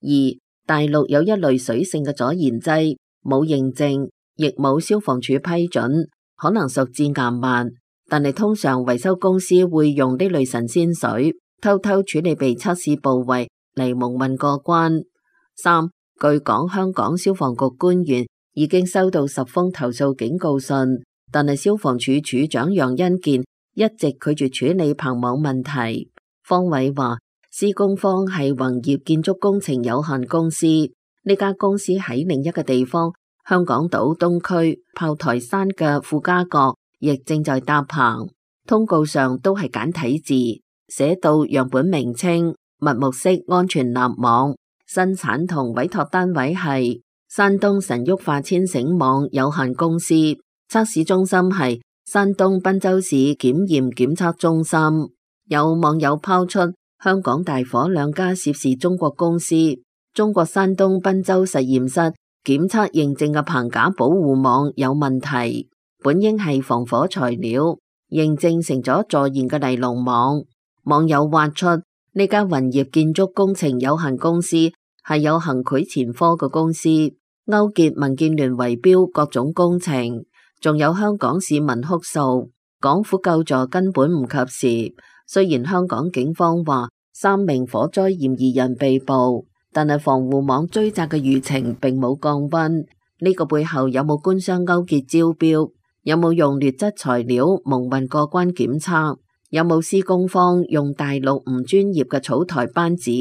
2大陸有一類水性嘅阻燃劑，冇認證，亦冇消防處批准，可能屬致癌物，但係通常維修公司會用呢類神仙水，偷偷處理被測試部位嚟蒙混過關。3據講，香港消防局官員已經收到10封投訴警告信，但係消防處處長楊恩健一直拒絕處理棚網問題。方偉話，施工方係宏業建築工程有限公司，呢家公司喺另一個地方，香港島東區炮台山嘅傅家閣亦正在搭棚。通告上都係簡體字，寫到樣本名稱、密木式安全立網，生產同委託單位係山東神旭化纖繩網有限公司，測試中心係山東濱州市檢驗檢測中心。有網友拋出香港大火2家涉事中國公司，中國山東濱州實驗室檢測認證嘅棚架保護網有問題，本應係防火材料，認證成咗助燃嘅尼龍網。網友挖出呢家宏業建築工程有限公司係有行賄前科嘅公司，勾結民建聯圍標各種工程，仲有香港市民哭訴，港府救助根本唔及時。雖然香港警方話3名火災嫌疑人被捕，但係防護網追責嘅輿情並冇降溫。呢個背後有冇官商勾結招標？有冇用劣質材料蒙混過關檢測？有冇施工方用大陸唔專業嘅草台班子？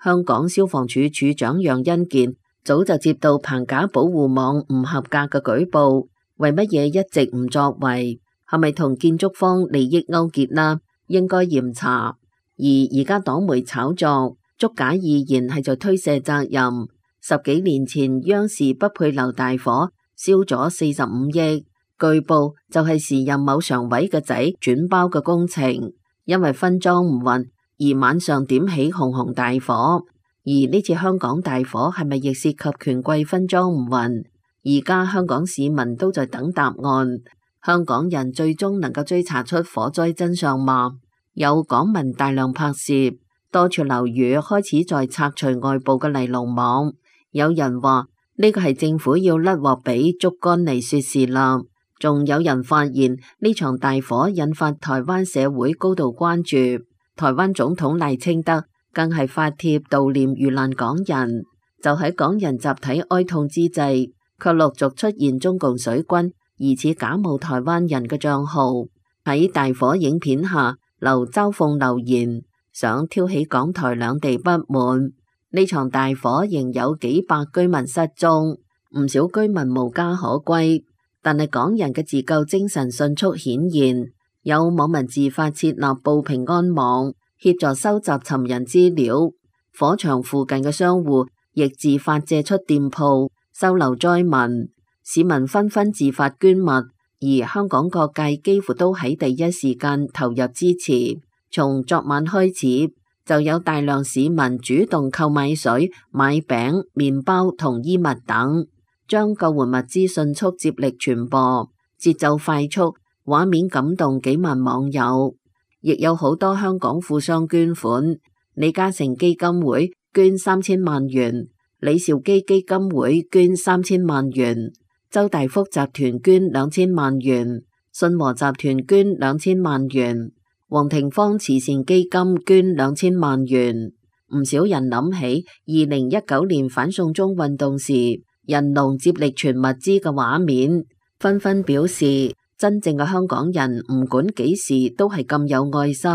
香港消防處處長楊恩健早就接到棚架保護網唔合格嘅舉報，為乜嘢一直唔作為？係咪同建築方利益勾結啦？應該嚴查。而家黨媒炒作，捉假意言係在推卸責任。10幾年前央視不配樓大火燒咗45億，據報就係時任某常委嘅仔轉包嘅工程，因為分裝唔勻而晚上點起紅紅大火。而呢次香港大火係咪亦涉及權貴分裝唔勻？而家香港市民都在等答案。香港人最終能夠追查出火災真相嗎？有港民大量拍攝，多處樓宇開始在拆除外部嘅尼龍網。有人話呢個係政府要甩鑊俾竹竿嚟說事啦。仲有人發現呢場大火引發台灣社會高度關注，台灣總統賴清德更係發帖悼念遇難港人。就喺港人集體哀痛之際，卻陸續出現中共水軍疑似假冒台灣人嘅賬號，喺大火影片下留嘲諷留言，想挑起港台兩地不滿。呢場大火仍有幾百居民失蹤，唔少居民無家可歸，但係港人嘅自救精神迅速顯現，有網民自發設立報平安網，協助收集尋人資料。火場附近嘅商戶亦自發借出店鋪收留災民。市民紛紛自發捐物，而香港各界幾乎都喺第一時間投入支持。從昨晚開始，就有大量市民主動購買水、買餅、麵包同衣物等，將救援物資迅速接力傳播，節奏快速，畫面感動幾萬網友，亦有好多香港富商捐款。李嘉誠基金會捐3000萬元，李兆基基金會捐3000萬元，周大福集團捐2000萬元，信和集團捐2000萬元，黃廷芳慈善基金捐2000萬元。唔少人諗起2019年反送中運動時人龍接力傳物資嘅畫面，紛紛表示真正嘅香港人唔管幾時都係咁有愛心。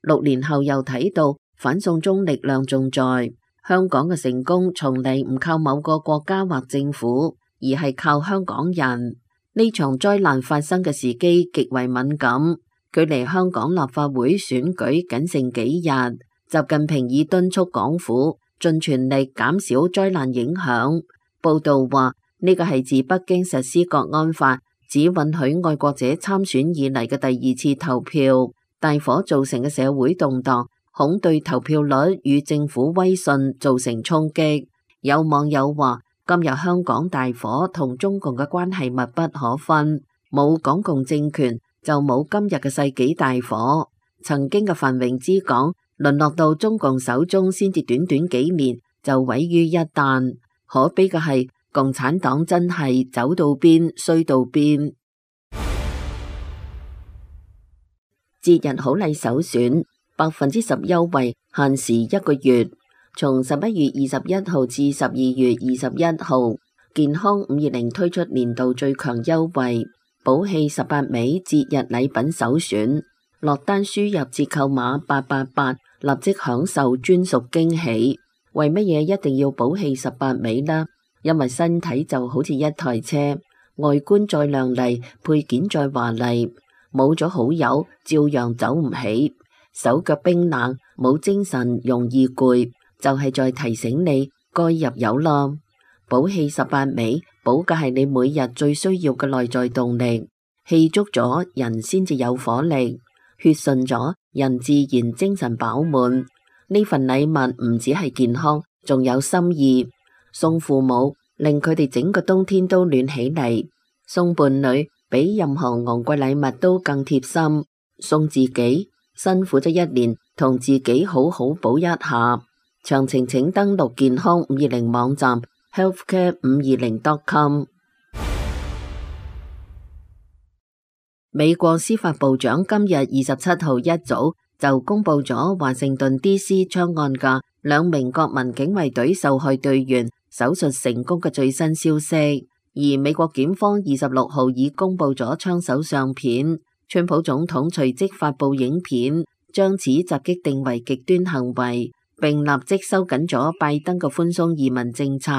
6年後又睇到反送中力量仲在，香港嘅成功從嚟唔靠某個國家或政府，而係靠香港人。呢場災難發生嘅時機極為敏感，距離香港立法會選舉僅剩幾日。習近平已敦促港府盡全力減少災難影響。報道話呢個係自北京實施國安法，只允許愛國者參選以嚟嘅第2次投票。大火造成嘅社會動盪，恐對投票率與政府威信造成衝擊。有網友話，今日香港大火同中共嘅關係密不可分，冇港共政權就冇今日嘅世紀大火。曾經嘅繁榮之港，淪落到中共手中，先至短短幾年就毀於一旦。可悲嘅係，共產黨真係走到邊衰到邊。節日好禮首選，10%優惠，限時1個月，從11月21號至12月21號，健康520推出年度最強優惠，寶氣18味節日禮品首選，落單輸入折扣碼888，立即享受專屬驚喜。為乜嘢一定要寶氣18味呢？因為身體就好似一台車，外觀再亮麗，配件再華麗，冇咗好友照樣走唔起，手腳冰冷，冇精神，容易攰，就係在提醒你該入油啦。寶氣18味，保嘅係你每日最需要嘅內在動力，氣足咗人先至有火力，血順咗人自然精神飽滿。呢份禮物唔只係健康，仲有心意。送父母，令佢哋整個冬天都暖起嚟；送伴侶，比任何昂貴禮物都更貼心；送自己，辛苦咗一年，同自己好好補一下。詳情請登錄健康520網站 healthcare520.com。美國司法部長今日27號一早就公布咗華盛頓 DC 槍案嘅2名國民警衛隊受害隊員手術成功嘅最新消息，而美國檢方26號已公布咗槍手相片。川普總統隨即發布影片，將此襲擊定為極端行為，並立即收緊咗拜登嘅寬鬆移民政策。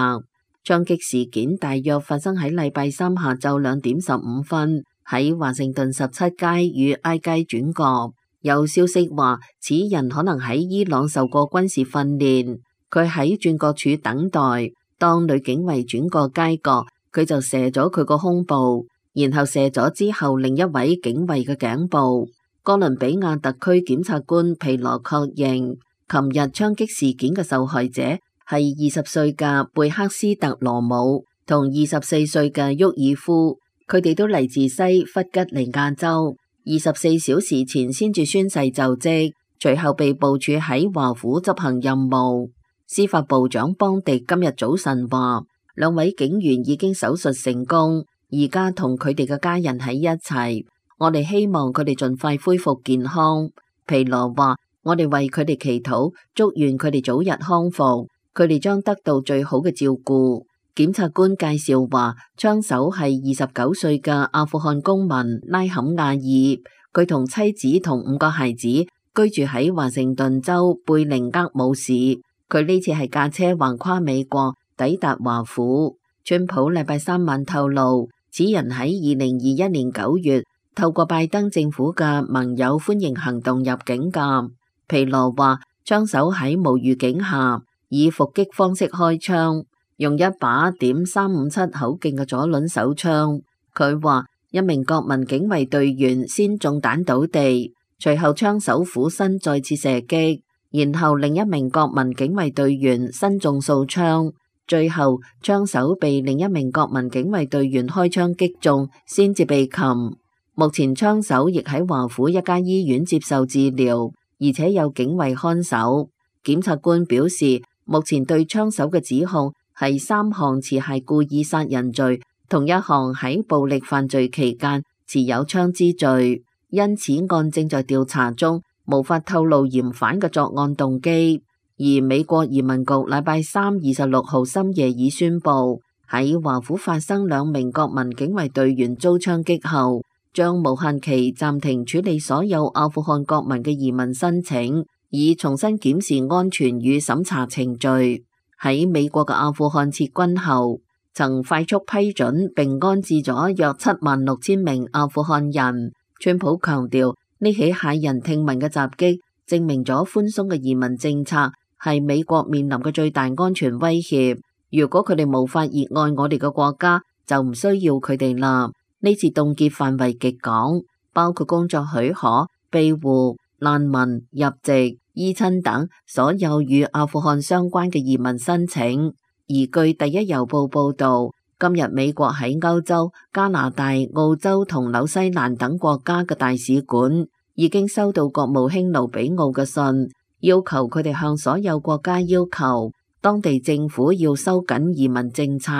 槍擊事件大約發生喺禮拜三下晝2點15分，喺華盛頓17街與 I 街轉角。有消息話，此人可能喺伊朗受過軍事訓練，佢喺轉角處等待。當女警衛轉過街角，佢就射咗佢個胸部，然後射咗之後另一位警衛嘅頸部。哥倫比亞特區檢察官皮羅確認，琴日槍擊事件嘅受害者係20歲嘅貝克斯特羅姆同24歲嘅沃爾夫，佢哋都嚟自西弗吉尼亞州，24小時前先至宣誓就職，隨後被部署喺華府執行任務。司法部長邦迪今日早晨話，2位警員已經手術成功，而家同佢哋嘅家人喺一齊。我哋希望佢哋盡快恢復健康。皮羅話，我哋為佢哋祈禱，祝願佢哋早日康復，佢哋將得到最好嘅照顧。檢察官介紹話，槍手係29歲嘅阿富汗公民拉坎亞爾，佢同妻子同5個孩子居住喺華盛頓州貝寧厄姆市。佢呢次係駕車橫跨美國，抵達華府。川普禮拜三晚透露，此人喺2021年9月透過拜登政府嘅盟友歡迎行動入境㗎。皮羅話，槍手喺無預警下以伏擊方式開槍，用一把.357口徑嘅左輪手槍。佢話，一名國民警衛隊員先中彈倒地，隨後槍手俯身再次射擊，然後另一名國民警衛隊員身中數槍，最後槍手被另一名國民警衛隊員開槍擊中，先至被擒。目前槍手亦喺華府一家醫院接受治療，而且有警衛看守。檢察官表示，目前對槍手嘅指控係3項持械故意殺人罪，同一項喺暴力犯罪期間持有槍支罪。因此案正在調查中，無法透露嫌犯嘅作案動機。而美國移民局禮拜3 26號深夜已宣布，喺華府發生2名國民警衛隊員遭槍擊後，將無限期暫停處理所有阿富汗國民嘅移民申請，以重新檢視安全與審查程序。喺美國嘅阿富汗撤軍後，曾快速批准並安置咗約76000名阿富汗人。川普強調，呢起駭人聽聞嘅襲擊證明咗寬鬆嘅移民政策係美國面臨嘅最大安全威脅。如果佢哋無法熱愛我哋嘅國家，就唔需要佢哋啦。呢次凍結範圍極廣，包括工作許可、庇護、難民、入籍、依親等所有與阿富汗相關嘅移民申請。而據第一郵報報導，今日美國喺歐洲、加拿大、澳洲同紐西蘭等國家嘅大使館已經收到國務卿盧比奧嘅信，要求佢哋向所有國家要求當地政府要收緊移民政策。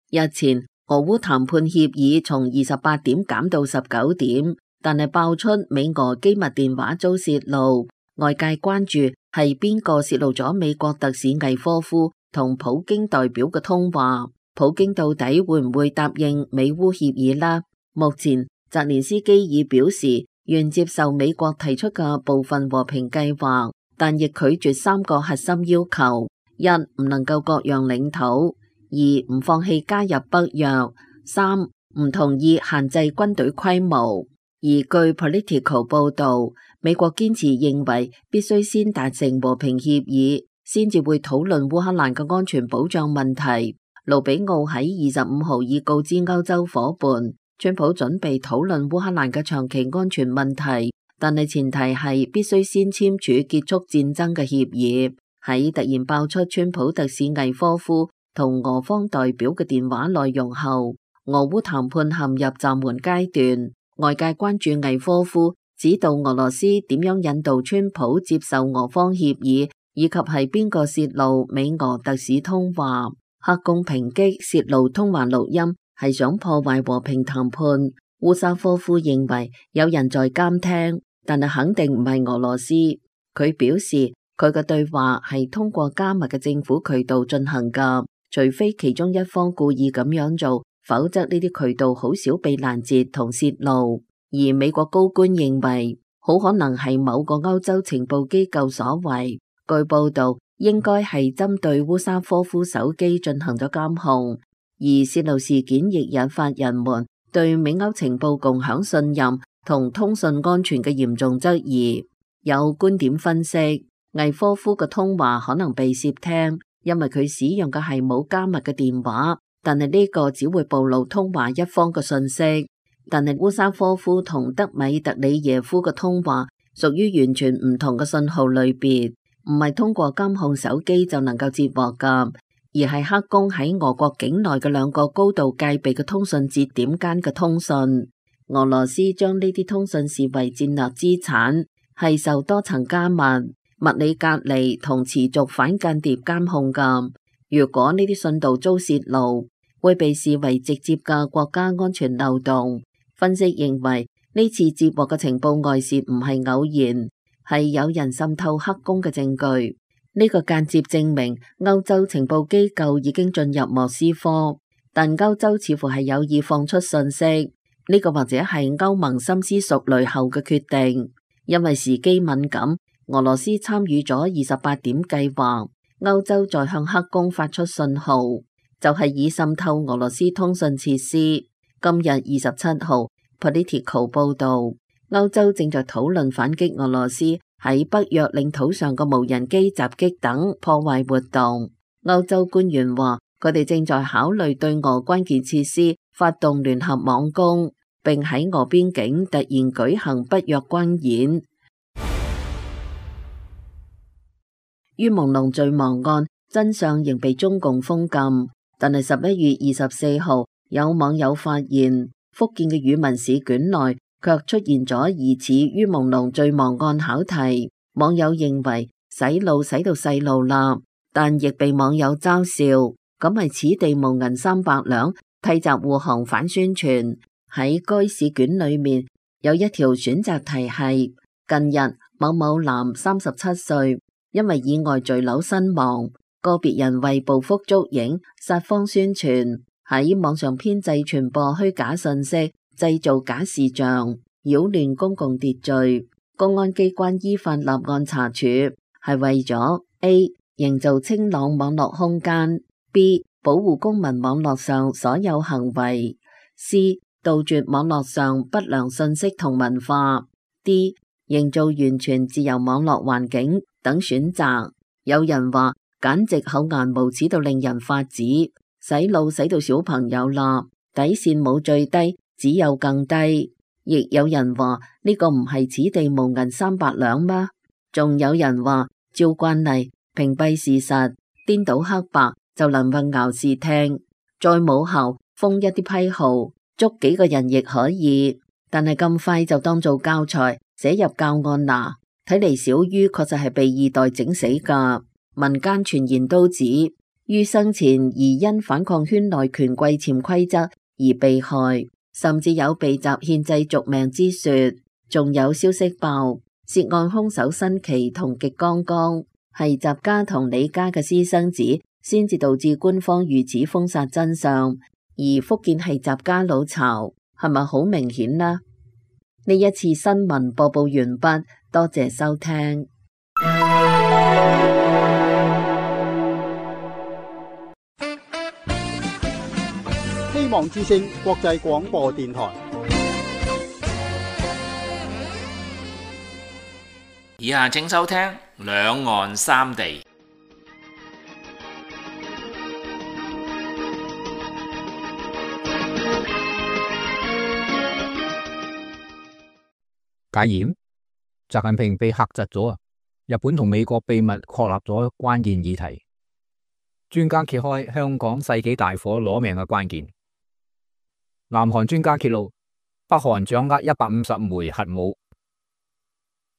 日前，俄烏談判協議從28點減到19點，但係爆出美俄機密電話遭洩露，外界關注係邊個洩露咗美國特使魏科夫同普京代表嘅通話，普京到底會唔會答應美烏協議呢？目前澤連斯基已表示願接受美國提出嘅部分和平計劃，但亦拒絕3個核心要求：一、唔能夠割讓領土；2、唔放棄加入北約；3、唔同意限制軍隊規模。而據 Politico 報導，美國堅持認為必須先達成和平協議，先至會討論烏克蘭嘅安全保障問題。盧比奧喺25號已告知歐洲夥伴，川普準備討論烏克蘭嘅長期安全問題，但係前提係必須先簽署結束戰爭嘅協議。喺突然爆出川普特使魏科夫同俄方代表嘅電話內容後，俄烏談判陷入暫緩階段。外界關注魏科夫指導俄羅斯點樣引導川普接受俄方協議，以及係邊個洩露美俄特使通話。黑宮抨擊洩露通話錄音係想破壞和平談判。烏沙科夫認為有人在監聽，但係肯定唔係俄羅斯。佢表示佢嘅對話係通過加密嘅政府渠道進行㗎，除非其中一方故意咁樣做，否則呢啲渠道好少被攔截同洩露。而美國高官認為好可能係某個歐洲情報機構所為。據報道，應該係針對烏沙科夫手機進行咗監控。而洩露事件亦引發人們對美歐情報共享信任同通訊安全嘅嚴重質疑。有觀點分析，魏科夫嘅通話可能被竊聽，因為佢使用嘅係冇加密嘅電話。但係呢個只會暴露通話一方嘅信息。但係烏沙科夫同德米特里耶夫嘅通話屬於完全唔同嘅信號類別，唔係通過監控手機就能夠接獲㗎，而係黑宮喺俄國境內嘅2個高度戒備嘅通訊節點間嘅通訊。俄羅斯將呢啲通訊視為戰略資產，係受多層加密、物理隔離同持續反間諜監控㗎。如果呢啲信道遭洩露，會被視為直接嘅國家安全漏洞。分析認為，呢次接獲嘅情報外泄唔係偶然，係有人滲透黑宮嘅證據。呢個間接證明歐洲情報機構已經進入莫斯科，但歐洲似乎係有意放出信息。呢個或者係歐盟深思熟慮後嘅決定，因為時機敏感。俄羅斯參與咗28點計劃，歐洲再向黑宮發出信號，就係以滲透俄羅斯通訊設施。今日27號 Politico 報道，歐洲正在討論反擊俄羅斯喺北約領土上嘅無人機襲擊等破壞活動。歐洲官員話，佢哋正在考慮對俄關鍵設施發動聯合網攻，並喺俄邊境突然舉行北約軍演。於朦朧罪亡案真相仍被中共封禁，但係11月24號有網友發現福建嘅語文試卷內卻出現咗疑似於朦朧醉忘案考題，網友認為洗腦洗到細路啦，但亦被網友嘲笑，咁係此地無銀300兩，替閘護航反宣傳。喺該試卷裏面有一條選擇題係：近日某某男37歲，因為意外墜樓身亡，個別人為報復捉影、撒謊宣傳，喺網上編製傳播虛假信息，製造假視像，擾亂公共秩序。公安機關依法立案查處，係為咗 A. 營造清朗網絡空間， B. 保護公民網絡上所有行為， C. 杜絕網絡上不良信息同文化， D. 營造完全自由網絡環境等選擇。有人話簡直厚顏無恥到令人發指，洗腦洗到小朋友啦，底線冇最低，只有更低。亦有人話呢個唔係此地無銀300兩嗎？仲有人話照慣例屏蔽事實，顛倒黑白就能混淆視聽，再冇效封一啲批號，捉幾個人亦可以，但係咁快就當做教材寫入教案啦。睇嚟小于確實係被二代整死噶。民間傳言都指于生前疑因反抗圈內權貴潛規則而被害，甚至有被襲獻祭續命之說。仲有消息爆涉案兇手新奇同極剛剛，係習家同李家嘅私生子，先至導致官方如此封殺真相。而福建係習家老巢，係咪好明顯呢？呢一次新聞播報完畢，多謝收聽。希望之聲國際廣播電台。以下請收聽兩岸三地。戒嚴，習近平被嚇窒咗啊！日本同美國秘密確立咗關鍵議題，專家揭開香港世紀大火攞命嘅關鍵。南韓專家揭露，北韓掌握150枚核武。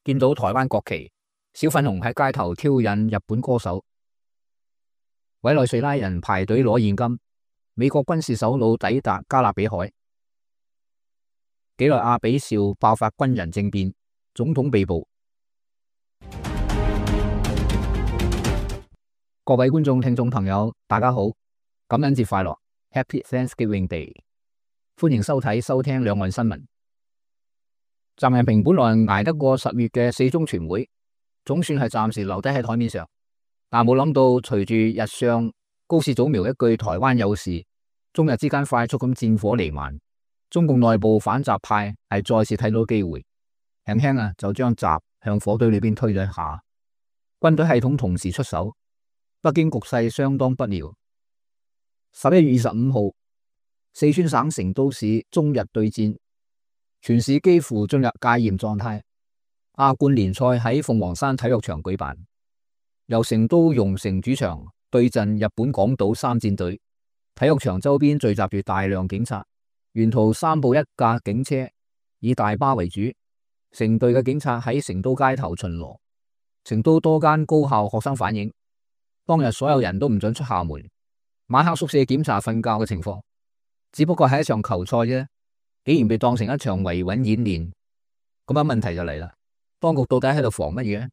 見到台灣國旗，小粉紅喺街頭挑釁日本歌手。委內瑞拉人排隊攞現金。美國軍事首腦抵達加勒比海。幾內亞比紹爆發軍人政變，總統被捕。各位觀眾、聽眾朋友，大家好，感恩節快樂 ，Happy Thanksgiving Day！ 歡迎收聽兩岸新聞。習近平本來捱得過10月嘅4中全會，總算係暫時留低喺台面上，但冇諗到隨住日上高市早苗一句台灣有事，中日之間快速咁戰火彌漫。中共內部反習派係再次睇到機會，輕輕就將習向火堆裏邊推咗一下。軍隊系統同時出手，北京局勢相當不妙。11月25號，四川省成都市中日對戰，全市幾乎進入戒嚴狀態。亞冠聯賽喺鳳凰山體育場舉辦，由成都蓉城主場對陣日本廣島3戰隊。體育場周邊聚集住大量警察。沿途3部1架警車，以大巴為主，成隊嘅警察喺成都街頭巡邏。成都多間高校學生反映，當日所有人都唔准出校門，晚黑宿舍檢查瞓覺嘅情況。只不過係一場球賽啫，竟然被當成一場維穩演練。咁樣問題就嚟啦，當局到底喺度防乜嘢？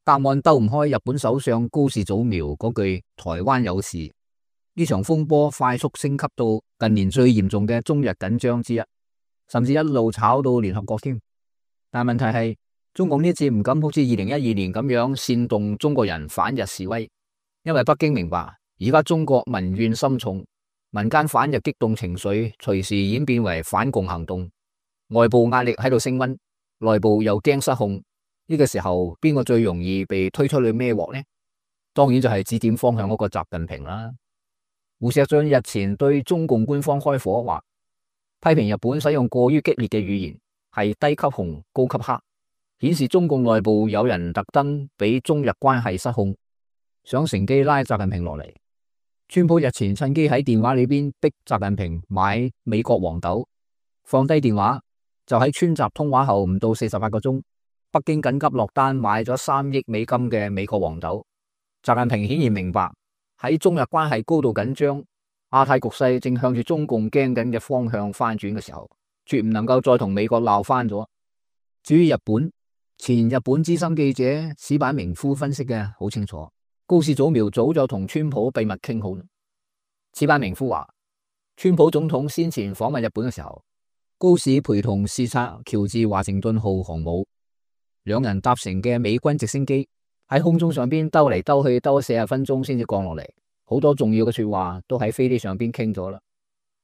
答案兜唔開日本首相高市早苗嗰句台灣有事。呢場風波快速升級到近年最嚴重嘅中日緊張之一，甚至一路炒到聯合國添。但問題係，中共呢次唔敢好似2012年咁樣煽動中國人反日示威，因為北京明白而家中國民怨深重，民間反日激動情緒隨時演變為反共行動，外部壓力喺度升溫，內部又驚失控。呢個時候邊個最容易被推出去孭鑊呢？當然就係指點方向嗰個習近平啦。胡錫進日前對中共官方開火話，批評日本使用過於激烈嘅語言，係低級紅高級黑，顯示中共內部有人特登俾中日關係失控，想乘機拉習近平落嚟。川普日前趁機喺電話裏邊逼習近平買美國黃豆，放低電話就喺川習通話後唔到48個鐘，北京緊急落單買咗3億美金嘅美國黃豆。習近平顯然明白喺中日關係高度緊張、亞太局勢正向住中共驚緊嘅方向翻轉嘅時候，絕唔能夠再同美國鬧翻咗。至於日本，前日本資深記者矢板明夫分析嘅好清楚。高市早苗早就同川普秘密傾好。矢板明夫話，川普總統先前訪問日本嘅時候，高市陪同視察喬治華盛頓號航母，兩人搭乘嘅美軍直升機喺空中上邊兜嚟兜去，兜40分鐘先至降落嚟，好多重要嘅說話都喺飛機上邊傾咗啦。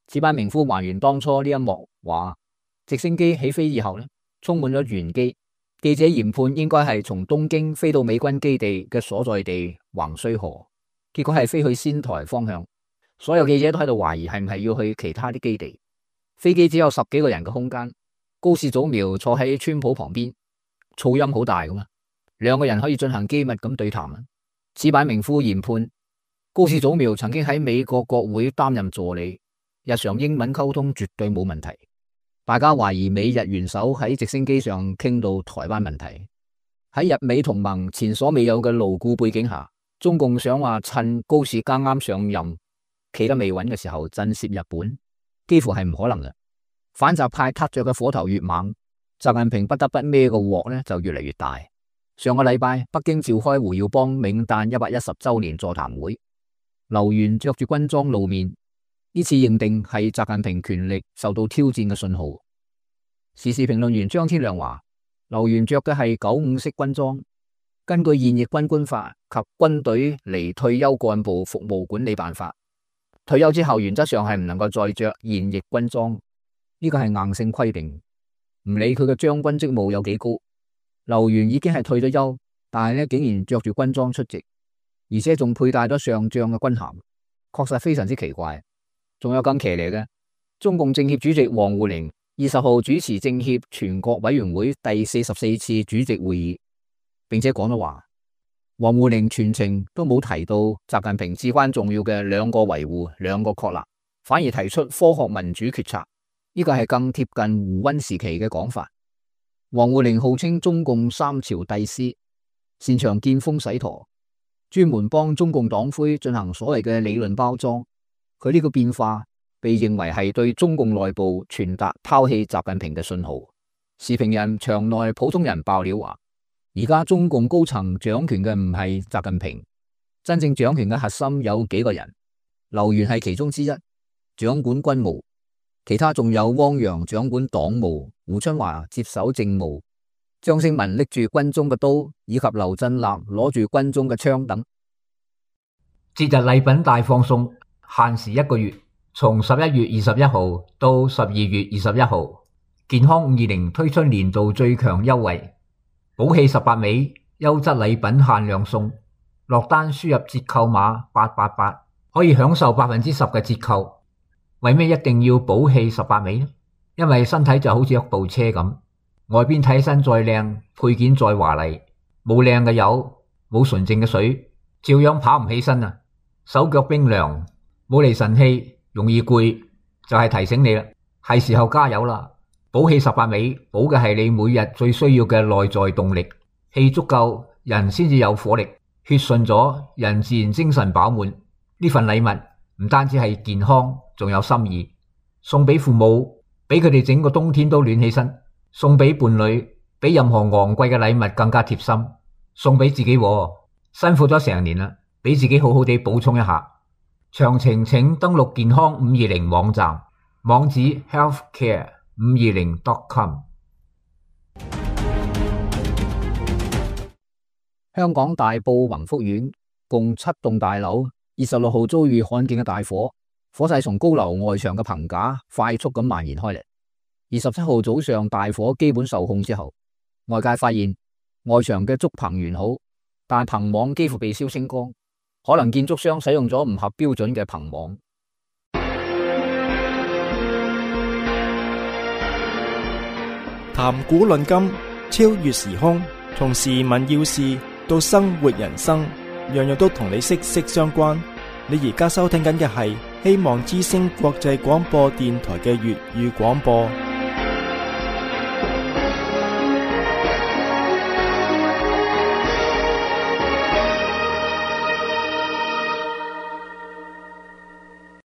矢板明夫還原當初呢一幕，話直升機起飛以後呢，充滿咗玄機。記者研判應該係從東京飛到美軍基地嘅所在地橫須賀，結果係飛去仙台方向。所有記者都喺度懷疑係唔係要去其他啲基地。飛機只有10幾個人嘅空間，高市早苗坐喺川普旁邊，噪音好大噶嘛，兩個人可以進行機密咁對談。矢板明夫研判，高市早苗曾經喺美國國會擔任助理，日常英文溝通絕對冇問題。大家懷疑美日元首喺直升機上傾到台灣問題。喺日美同盟前所未有嘅牢固背景下，中共想話趁高市剛啱上任企得未穩嘅時候震懾日本，幾乎係唔可能嘅。反習派撻着嘅火頭越猛，習近平不得不孭個鑊呢就越嚟越大。上個禮拜北京召開胡耀邦冥誕110週年座談會，劉源着住軍裝露面。呢次認定係習近平權力受到挑戰嘅信號。時事評論員張天亮話，劉源着嘅係95式軍裝，根據現役軍官法及軍隊離退休幹部服務管理辦法，退休之後原則上係唔能夠再着現役軍裝，呢個係硬性規定。唔理佢嘅將軍職務有幾高，劉源已經係退咗休，但係呢竟然着住軍裝出席，而且仲佩戴咗上將嘅軍銜，確實非常之奇怪。仲有更騎呢嘅，中共政協主席王滬寧20號主持政協全國委員會第44次主席會議，並且講咗話，王滬寧全程都冇提到習近平至關重要嘅兩個維護、兩個確立，反而提出科學民主決策，呢個係更貼近胡溫時期嘅講法。王滬寧號稱中共3朝帝師，擅長見風使舵，專門幫中共黨魁進行所謂嘅理論包裝。佢呢個變化被認為係對中共內部傳達拋棄習近平嘅信號。時評人場內普通人爆料話，而家中共高層掌權嘅唔係習近平，真正掌權嘅核心有幾個人，劉源係其中之一，掌管軍務，其他仲有汪洋掌管黨務，胡春華接手政務，張勝文拎住軍中嘅刀，以及劉振立攞住軍中嘅槍等。節日禮品大放送，限時1個月，從11月21號到12月21號，健康520推出年度最強優惠，寶氣18味，優質禮品限量送，落單輸入折扣碼888，可以享受10%嘅折扣。為咩一定要寶氣18味呢？因為身體就好似一部車咁，外邊睇起身再靚，配件再華麗，冇靚嘅油，冇純淨嘅水，照樣跑唔起身啊！手腳冰涼，冇嚟神氣，容易攰，就係提醒你啦，係時候加油啦！寶氣18味，補嘅係你每日最需要嘅內在動力，氣足夠，人先至有火力，血順咗，人自然精神飽滿。呢份禮物唔單止係健康，仲有心意，送俾父母，俾佢哋整個冬天都暖起身；送俾伴侶，比任何昂貴嘅禮物更加貼心；送俾自己，辛苦咗成年啦，俾自己好好地補充一下。詳情請登錄健康520網站，網址 healthcare520.com。 香港大埔宏福苑共7棟大樓26號遭遇罕見嘅大火，火勢從高樓外牆嘅棚架快速咁蔓延開嚟。27號早上大火基本受控之後，外界發現外牆嘅竹棚完好，但棚網幾乎被燒清光，可能建築商使用咗唔合標準嘅棚網。談古論今，超越時空，從時聞要事到生活人生，樣樣都同你息息相關。你而家收聽緊嘅係希望之聲國際廣播電台嘅粵語廣播。